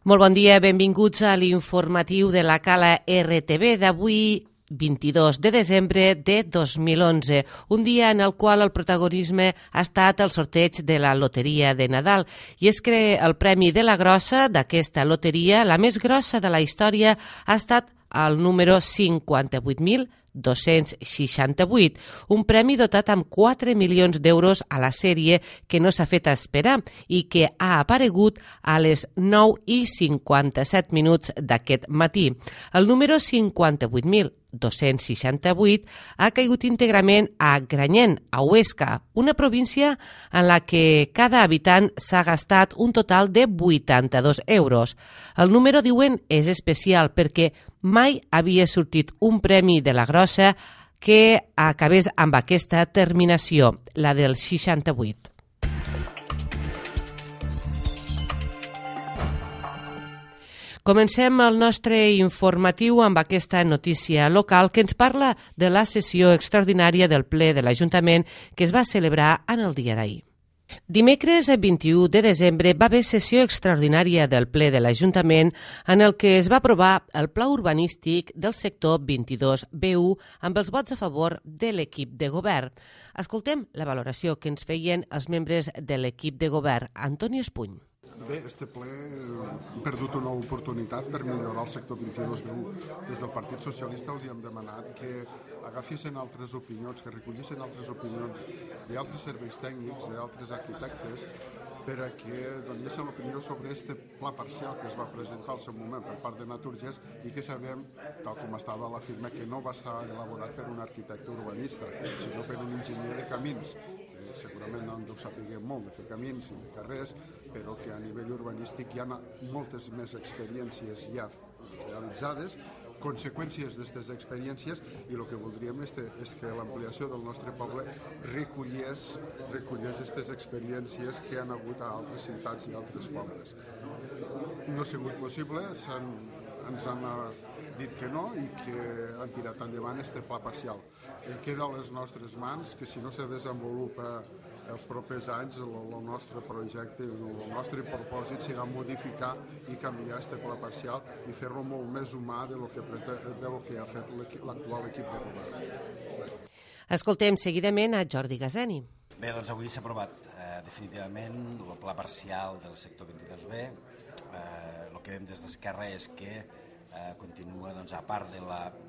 Molt bon dia, benvinguts a l'informatiu de la Cala RTV d'avui, 22 de desembre de 2011, un dia en el qual el protagonisme ha estat el sorteig de la loteria de Nadal. I és que el premi de la grossa d'aquesta loteria, la més grossa de la història, ha estat el número 58.268, un premi dotat amb 4 milions d'euros a la sèrie que no s'ha fet esperar i que ha aparegut a les 9:57 d'aquest matí. El número 58.268 ha caigut íntegrament a Granyent, a Huesca, una província en la que cada habitant s'ha gastat un total de 82 euros. El número, diuen, és especial perquè mai havia sortit un premi de la grossa que acabés amb aquesta terminació, la del 68. Comencem el nostre informatiu amb aquesta notícia local que ens parla de la sessió extraordinària del ple de l'Ajuntament que es va celebrar en el dia d'ahir. Dimecres 21 de desembre va haver sessió extraordinària del ple de l'Ajuntament en el que es va aprovar el pla urbanístic del sector 22B1 amb els vots a favor de l'equip de govern. Escoltem la valoració que ens feien els membres de l'equip de govern. Antoni Espuny. Bé, este ple hem perdut una oportunitat per millorar el sector 22B1. Des del Partit Socialista els hem demanat que agafessin altres opinions, que recollissin altres opinions d'altres serveis tècnics, d'altres arquitectes, per a que donessin l'opinió sobre este pla parcial que es va presentar al seu moment per part de Naturgés i que sabem, tal com estava a la firma, que no va ser elaborat per un arquitecte urbanista, sinó per un enginyer de camins. Segurament no en deu saber molt de fer camins i de carrers, però que a nivell urbanístic hi ha moltes més experiències ja realitzades, conseqüències d'aquestes experiències, i el que voldríem és que l'ampliació del nostre poble recollés aquestes experiències que han hagut a altres ciutats i altres pobles. No ha sigut possible, ens han dit que no i que han tirat endavant este pla parcial. Queda a les nostres mans que si no se desenvolupa els propers anys el nostre projecte, el nostre propòsit serà modificar i canviar este pla parcial i fer-lo molt més humà de lo que ha fet l'actual equip de govern. Escoltem seguidament a Jordi Gazeni. Bé, doncs avui s'ha aprovat definitivament el pla parcial del sector 22B. El que veiem des d'Esquerra és que continua, a part de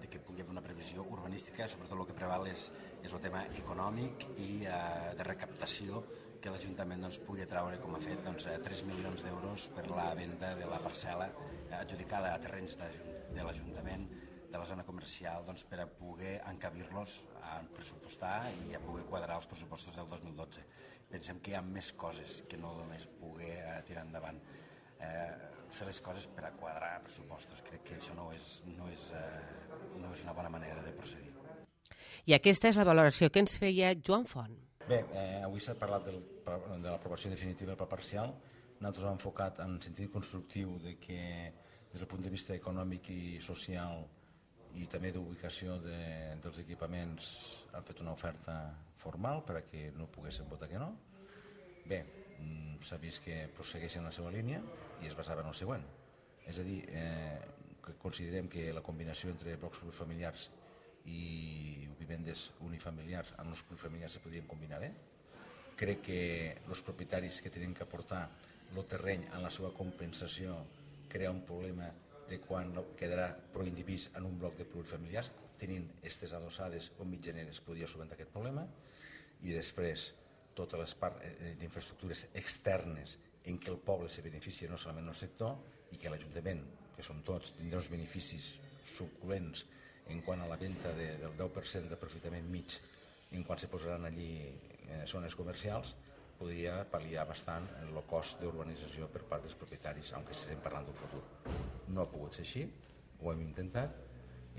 que pugui haver una previsió urbanística, sobretot el que preval és el tema econòmic i de recaptació, que l'Ajuntament pugui traure, com ha fet, 3 milions d'euros per la venda de la parcel·la adjudicada a terrenys de l'Ajuntament de la zona comercial per a poder encabir-los a pressupostar i a poder quadrar els pressupostos del 2012. Pensem que hi ha més coses que no només poder tirar endavant. Fer les coses per a quadrar pressupostos. Crec que això no és una bona manera de procedir. I aquesta és la valoració que ens feia Joan Font. Bé, avui s'ha parlat de l'aprovació definitiva del pla parcial. Nosaltres hem enfocat en sentit constructiu de que des del punt de vista econòmic i social i també d'ubicació dels equipaments han fet una oferta formal per a que no poguessin votar que no. Bé, s'ha vist que prossegueixen la seva línia i es basava en el següent. És a dir, que considerem que la combinació entre blocs plurifamiliars i vivendes unifamiliars amb els plurifamiliars se podrien combinar bé. Crec que els propietaris que tenen que aportar el terreny en la seva compensació crea un problema de quan quedarà proindivís en un bloc de plurifamiliars. Tenint aquestes adossades o mitjaneres podria solventar aquest problema. I després totes les parts d'infraestructures externes en què el poble se beneficia no solament el sector i que l'Ajuntament, que som tots, tindrà uns beneficis suculents en quant a la venda del 10% d'aprofitament mig en quan se posaran allí zones comercials, podria pal·liar bastant el cost d'urbanització per part dels propietaris, aunque estem parlant d'un futur. No ha pogut ser així, ho hem intentat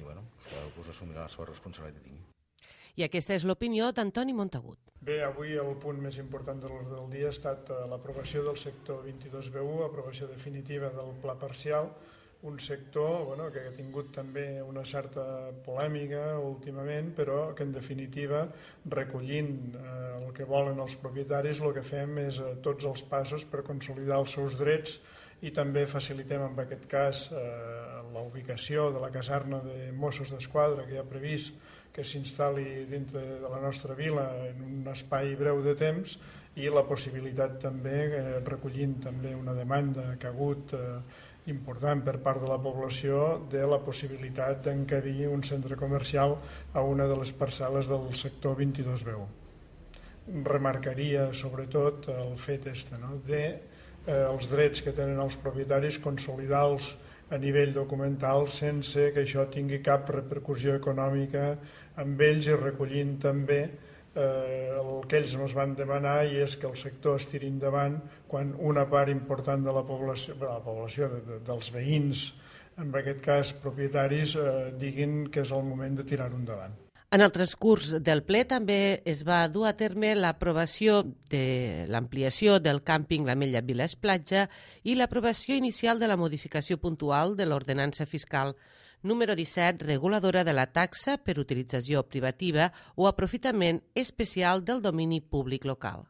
i cadascú assumirà la seva responsabilitat que tingui. I aquesta és l'opinió d'Antoni Montagut. Bé, avui el punt més important de l'ordre del dia ha estat l'aprovació del sector 22B1, aprovació definitiva del pla parcial, un sector que ha tingut també una certa polèmica últimament, però que en definitiva, recollint el que volen els propietaris, el que fem és tots els passos per consolidar els seus drets i també facilitem en aquest cas la ubicació de la caserna de Mossos d'Esquadra que hi ha previst que s'instal·li dintre de la nostra vila en un espai breu de temps i la possibilitat també, recollint també una demanda que ha hagut important per part de la població, de la possibilitat d'encabir un centre comercial a una de les parcel·les del sector 22B1. Remarcaria sobretot el fet els drets que tenen els propietaris, consolidar-los a nivell documental sense que això tingui cap repercussió econòmica amb ells i recollint també el que ells ens van demanar, i és que el sector es tiri endavant quan una part important de la població dels veïns, en aquest cas propietaris, diguin que és el moment de tirar-ho endavant. En el transcurs del ple també es va dur a terme l'aprovació de l'ampliació del càmping l'Ametlla Viles Platja i l'aprovació inicial de la modificació puntual de l'ordenança fiscal número 17, reguladora de la taxa per utilització privativa o aprofitament especial del domini públic local.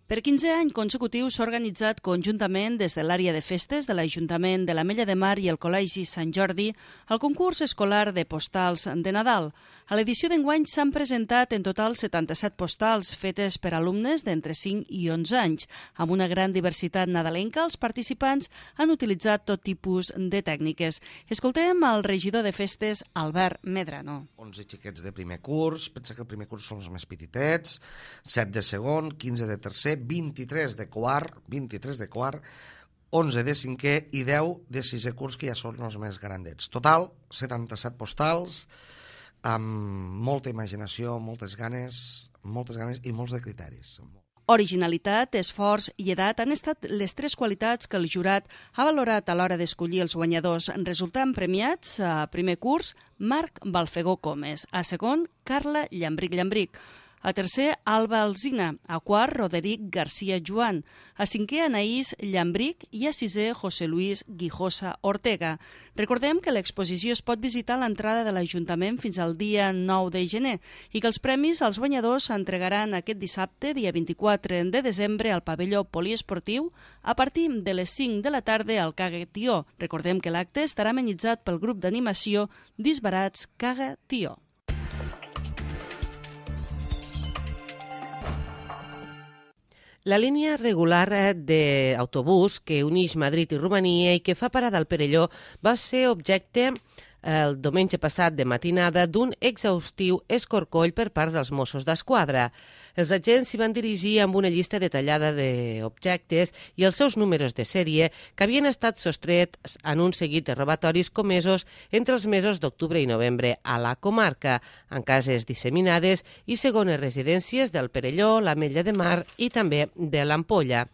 Per 15 anys consecutius s'ha organitzat conjuntament des de l'àrea de festes de l'Ajuntament de l'Ametlla de Mar i el Col·legi Sant Jordi el concurs escolar de postals de Nadal. A l'edició d'enguany s'han presentat en total 77 postals fetes per alumnes d'entre 5 i 11 anys. Amb una gran diversitat nadalenca, els participants han utilitzat tot tipus de tècniques. Escoltem el regidor de festes, Albert Medrano. 11 xiquets de primer curs, pensa que el primer curs són els més petitets, 7 de segon, 15 de tercer, 23 de quart, 11 de cinquè i 10 de sisè curs, que ja són els més grandets. Total, 77 postals, amb molta imaginació, moltes ganes i molts de criteris. Originalitat, esforç i edat han estat les 3 qualitats que el jurat ha valorat a l'hora d'escollir els guanyadors, resultant premiats a primer curs Marc Balfegó Comes, a segon Carla Llambric, a tercer Alba Alsina, a quart Roderic García Joan, a cinquè Anaïs Llambric i a sisè José Luis Guijosa Ortega. Recordem que l'exposició es pot visitar a l'entrada de l'Ajuntament fins al dia 9 de gener i que els premis als guanyadors s'entregaran aquest dissabte, dia 24 de desembre, al pavelló poliesportiu a partir de les 5 de la tarda al Caga Tió. Recordem que l'acte estarà amenitzat pel grup d'animació Disbarats Caga Tió. La línia regular d'autobús que uneix Madrid i Romania i que fa parada al Perelló va ser objecte el diumenge passat de matinada d'un exhaustiu escorcoll per part dels Mossos d'Esquadra. Els agents s'hi van dirigir amb una llista detallada d'objectes i els seus números de sèrie que havien estat sostrets en un seguit de robatoris comesos entre els mesos d'octubre i novembre a la comarca, en cases disseminades i segones residències del Perelló, l'Ametlla de Mar i també de l'Ampolla.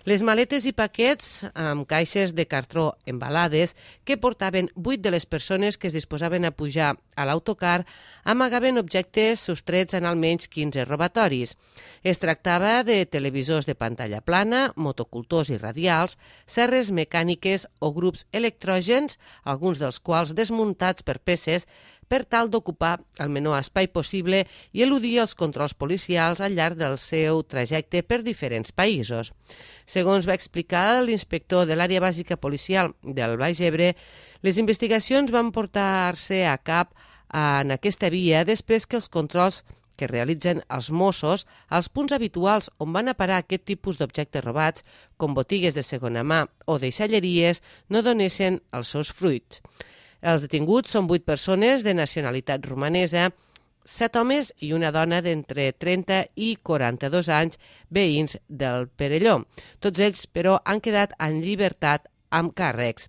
Les maletes i paquets amb caixes de cartró embalades que portaven 8 de les persones que es disposaven a pujar a l'autocar amagaven objectes sostrets en almenys 15 robatoris. Es tractava de televisors de pantalla plana, motocultors i radials, serres mecàniques o grups electrògens, alguns dels quals desmuntats per peces per tal d'ocupar el menor espai possible i eludir els controls policials al llarg del seu trajecte per diferents països. Segons va explicar l'inspector de l'àrea bàsica policial del Baix Ebre, les investigacions van portar-se a cap en aquesta via després que els controls que realitzen els Mossos als punts habituals on van a parar aquest tipus d'objectes robats, com botigues de segona mà o deixalleries, no donessin els seus fruits. Els detinguts són 8 persones de nacionalitat romanesa, 7 homes i una dona d'entre 30 i 42 anys, veïns del Perelló. Tots ells, però, han quedat en llibertat amb càrrecs.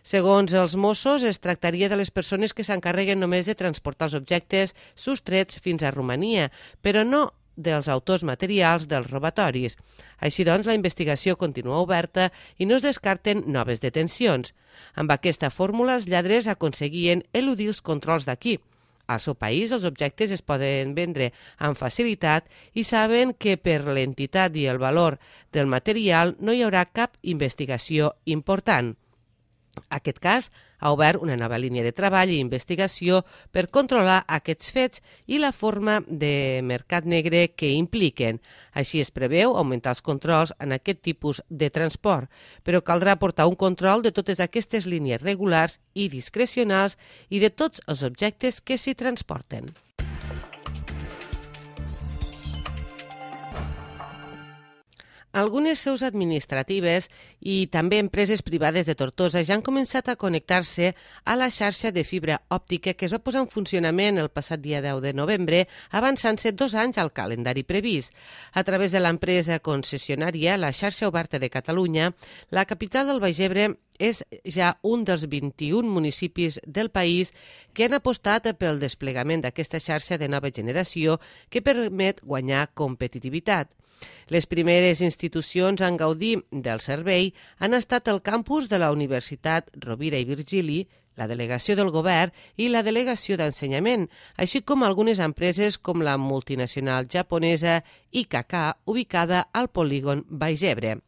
Segons els Mossos, es tractaria de les persones que s'encarreguen només de transportar els objectes sostrets fins a Romania, però no dels autors materials dels robatoris. Així doncs, la investigació continua oberta i no es descarten noves detencions. Amb aquesta fórmula, els lladres aconseguien eludir els controls d'aquí. Al seu país, els objectes es poden vendre amb facilitat i saben que per l'entitat i el valor del material no hi haurà cap investigació important. Aquest cas ha obert una nova línia de treball i investigació per controlar aquests fets i la forma de mercat negre que impliquen. Així es preveu augmentar els controls en aquest tipus de transport, però caldrà portar un control de totes aquestes línies regulars i discrecionals i de tots els objectes que s'hi transporten. Algunes seus administratives i també empreses privades de Tortosa ja han començat a connectar-se a la xarxa de fibra òptica que es va posar en funcionament el passat dia 10 de novembre, avançant-se 2 anys al calendari previst. A través de l'empresa concessionària, la xarxa oberta de Catalunya, la capital del Baix Ebre és ja un dels 21 municipis del país que han apostat pel desplegament d'aquesta xarxa de nova generació que permet guanyar competitivitat. Les primeres institucions en gaudir del servei han estat el campus de la Universitat Rovira i Virgili, la delegació del govern i la delegació d'ensenyament, així com algunes empreses com la multinacional japonesa IKK, ubicada al polígon Baix Ebre.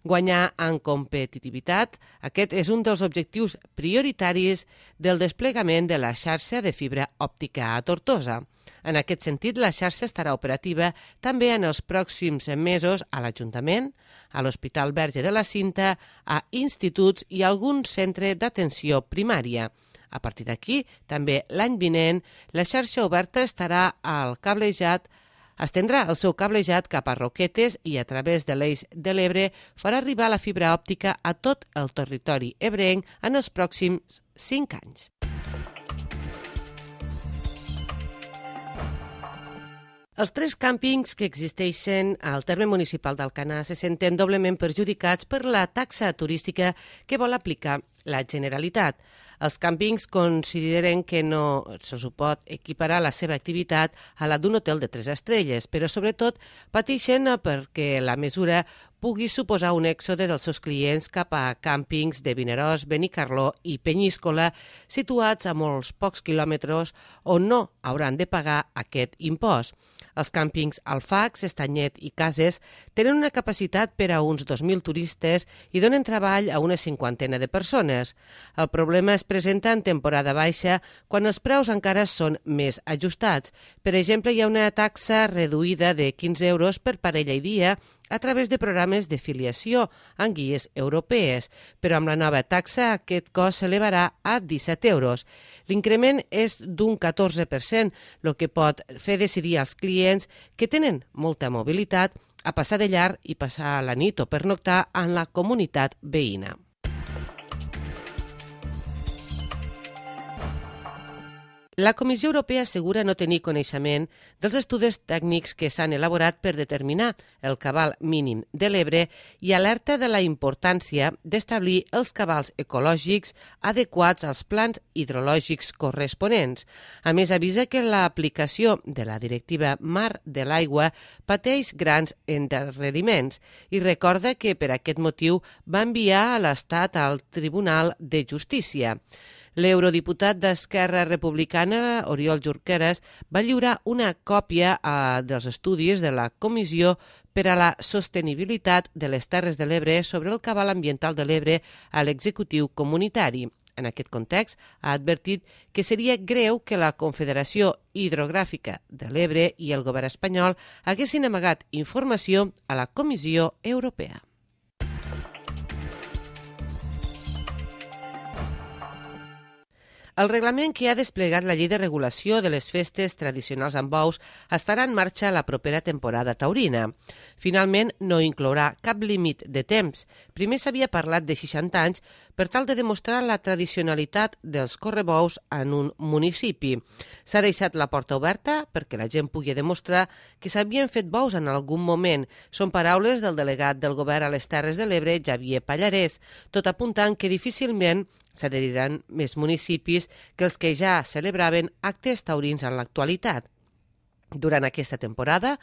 Guanyar en competitivitat, aquest és un dels objectius prioritaris del desplegament de la xarxa de fibra òptica a Tortosa. En aquest sentit, la xarxa estarà operativa també en els pròxims mesos a l'Ajuntament, a l'Hospital Verge de la Cinta, a instituts i a algun centre d'atenció primària. A partir d'aquí, també l'any vinent, la xarxa oberta estendrà el seu cablejat cap a Roquetes i a través de l'Eix de l'Ebre farà arribar la fibra òptica a tot el territori ebrenc en els pròxims 5 anys. Els 3 càmpings que existeixen al terme municipal d'Alcanar se senten doblement perjudicats per la taxa turística que vol aplicar la Generalitat. Els càmpings consideren que no se'ls pot equiparar la seva activitat a la d'un hotel de 3 estrelles, però sobretot pateixen perquè la mesura pugui suposar un èxode dels seus clients cap a càmpings de Vinaròs, Benicarló i Penyíscola, situats a molts pocs quilòmetres on no hauran de pagar aquest impost. Els càmpings Alfacs, Estanyet i Cases tenen una capacitat per a uns 2.000 turistes i donen treball a una 50 de persones. El problema es presenta en temporada baixa, quan els preus encara són més ajustats. Per exemple, hi ha una taxa reduïda de 15 euros per parella i dia a través de programes de filiació en guies europees, però amb la nova taxa aquest cost s'elevarà a 17 euros. L'increment és d'un 14%, el que pot fer decidir als clients que tenen molta mobilitat a passar de llarg i passar la nit o pernoctar en la comunitat veïna. La Comissió Europea assegura no tenir coneixement dels estudis tècnics que s'han elaborat per determinar el cabal mínim de l'Ebre i alerta de la importància d'establir els cabals ecològics adequats als plans hidrològics corresponents. A més, avisa que l'aplicació de la directiva Mar de l'Aigua pateix grans endarreriments i recorda que per aquest motiu va enviar a l'Estat al Tribunal de Justícia. L'eurodiputat d'Esquerra Republicana, Oriol Junqueras, va lliurar una còpia dels estudis de la Comissió per a la Sostenibilitat de les Terres de l'Ebre sobre el cabal ambiental de l'Ebre a l'executiu comunitari. En aquest context, ha advertit que seria greu que la Confederació Hidrogràfica de l'Ebre i el govern espanyol haguessin amagat informació a la Comissió Europea. El reglament que ha desplegat la llei de regulació de les festes tradicionals amb bous estarà en marxa la propera temporada taurina. Finalment, no inclourà cap límit de temps. Primer s'havia parlat de 60 anys per tal de demostrar la tradicionalitat dels correbous en un municipi. S'ha deixat la porta oberta perquè la gent pugui demostrar que s'havien fet bous en algun moment. Són paraules del delegat del govern a les Terres de l'Ebre, Xavier Pallarès, tot apuntant que difícilment s'adheriran més municipis que els que ja celebraven actes taurins en l'actualitat. Durant aquesta temporada,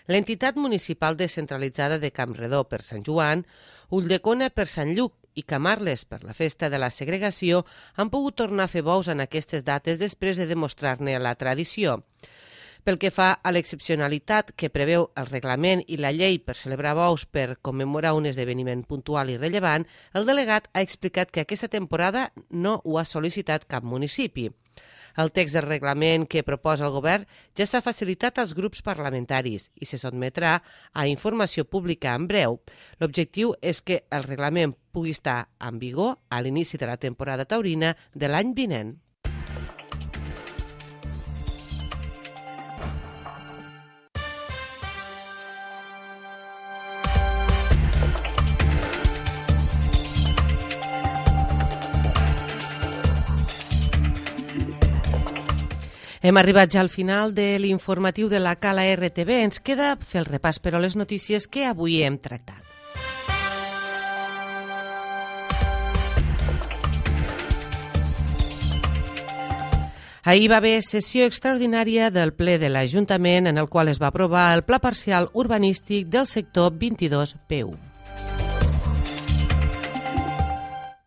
l'entitat municipal descentralitzada de Campredó per Sant Joan, Ulldecona per Sant Lluc i Camarles per la festa de la segregació han pogut tornar a fer bous en aquestes dates després de demostrar-ne la tradició. Pel que fa a l'excepcionalitat que preveu el reglament i la llei per celebrar bous per commemorar un esdeveniment puntual i rellevant, el delegat ha explicat que aquesta temporada no ho ha sol·licitat cap municipi. El text del reglament que proposa el govern ja s'ha facilitat als grups parlamentaris i se sotmetrà a informació pública en breu. L'objectiu és que el reglament pugui estar en vigor a l'inici de la temporada taurina de l'any vinent. Hem arribat ja al final de l'informatiu de la Cala RTV. Ens queda fer el repàs, però, les notícies que avui hem tractat. Ahir va haver sessió extraordinària del ple de l'Ajuntament en el qual es va aprovar el pla parcial urbanístic del sector 22P1.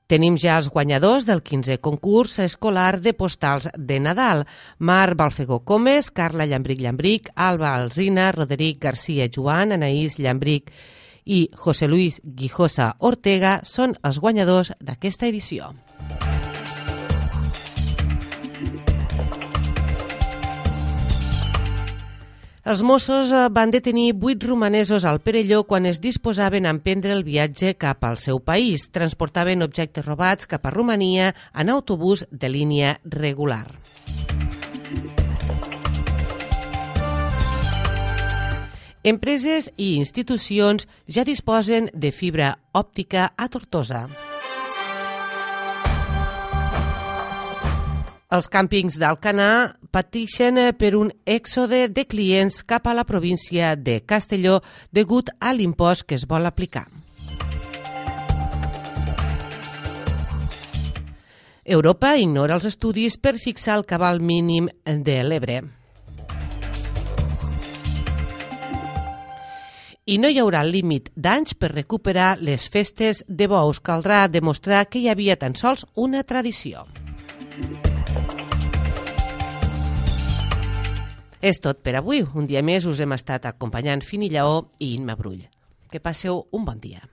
Tenim ja els guanyadors del 15è concurs escolar de postals de Nadal. Marc Balfegó Comes, Carla Llambric, Alba Alsina, Roderic García Joan, Anaïs Llambric i José Luis Guijosa Ortega són els guanyadors d'aquesta edició. Els Mossos van detenir 8 romanesos al Perelló quan es disposaven a emprendre el viatge cap al seu país. Transportaven objectes robats cap a Romania en autobús de línia regular. Empreses i institucions ja disposen de fibra òptica a Tortosa. Els càmpings d'Alcanar pateixen per un èxode de clients cap a la província de Castelló degut a l'impost que es vol aplicar. Europa ignora els estudis per fixar el cabal mínim de l'Ebre. I no hi haurà límit d'anys per recuperar les festes de bous. Caldrà demostrar que hi havia tan sols una tradició. És tot per avui. Un dia més us hem estat acompanyant Fini Lleó i Imma Brull. Que passeu un bon dia.